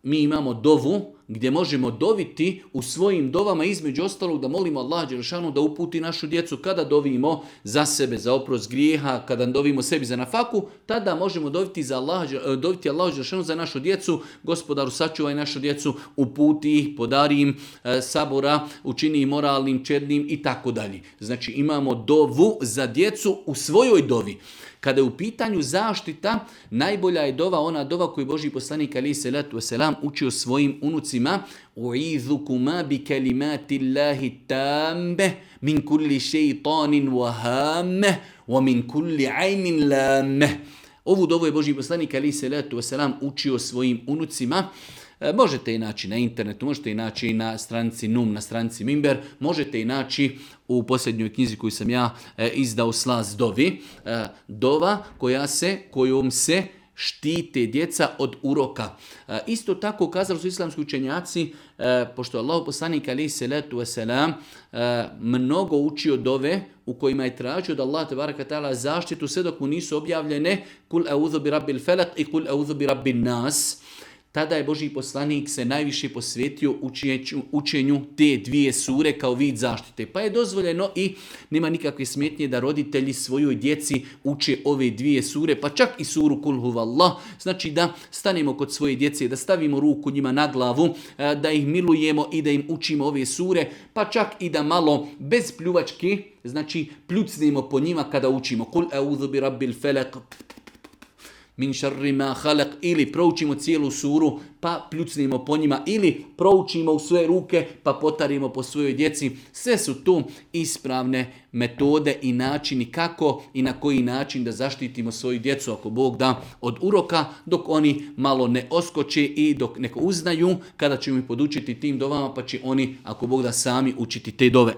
mi imamo dovu gdje možemo doviti u svojim dovama, između ostalog da molimo Allah dželešanu da uputi našu djecu. Kada dovimo za sebe, za oprost grijeha, kada dovimo sebi za nafaku, tada možemo doviti Allah dželešanu za našu djecu. Gospodaru, sačuvaj našu djecu, uputi ih, podari im sabora, učini ih moralnim, čednim i tako dalje. Znači imamo dovu za djecu u svojoj dovi. Kada je u pitanju zaštita, najbolja je dova ona dova koju Božji poslanik alejhi selatu vesselam učio svojim unucima: "U'idhukuma bi kalimatillahi tamme min kulli shaytanin wa hamme wa min kulli 'aynin lamme." Ovu dovu je Božji poslanik alejhi selatu vesselam učio svojim unucima. Možete i naći na internetu, možete i naći na stranici NUM, na stranici Mimber, možete i naći u posljednjoj knjizi koju sam ja izdao, Slast dovi. Dova kojom se štite djeca od uroka. Isto tako kazali su islamski učenjaci, pošto Allah poslanik alejhi selatu vesselam mnogo učio dove u kojima je tražio da Allah tebaraka taala zaštitu sve dok mu nisu objavljene kul a'udhu bi rabbil falaq i kul a'udhu bi rabbin nas. Tada je Božji poslanik se najviše posvetio učenju te dvije sure kao vid zaštite. Pa je dozvoljeno i nema nikakve smetnje da roditelji svojoj djeci uče ove dvije sure, pa čak i suru Kul huvallah. Znači da stanemo kod svoje djece, da stavimo ruku njima na glavu, da ih milujemo i da im učimo ove sure, pa čak i da malo bez pljuvačke, znači pljucnemo po njima kada učimo Kul a'udhu bi rabbil falaq min šarri ma halak, ili proučimo cijelu suru pa pljucnimo po njima, ili proučimo u svoje ruke pa potarimo po svojoj djeci. Sve su tu ispravne metode i načini kako i na koji način da zaštitimo svoju djecu, ako Bog da, od uroka, dok oni malo ne oskoče i dok neko uznaju, kada ćemo ih podučiti tim dovama, pa će oni, ako Bog da, sami učiti te dove.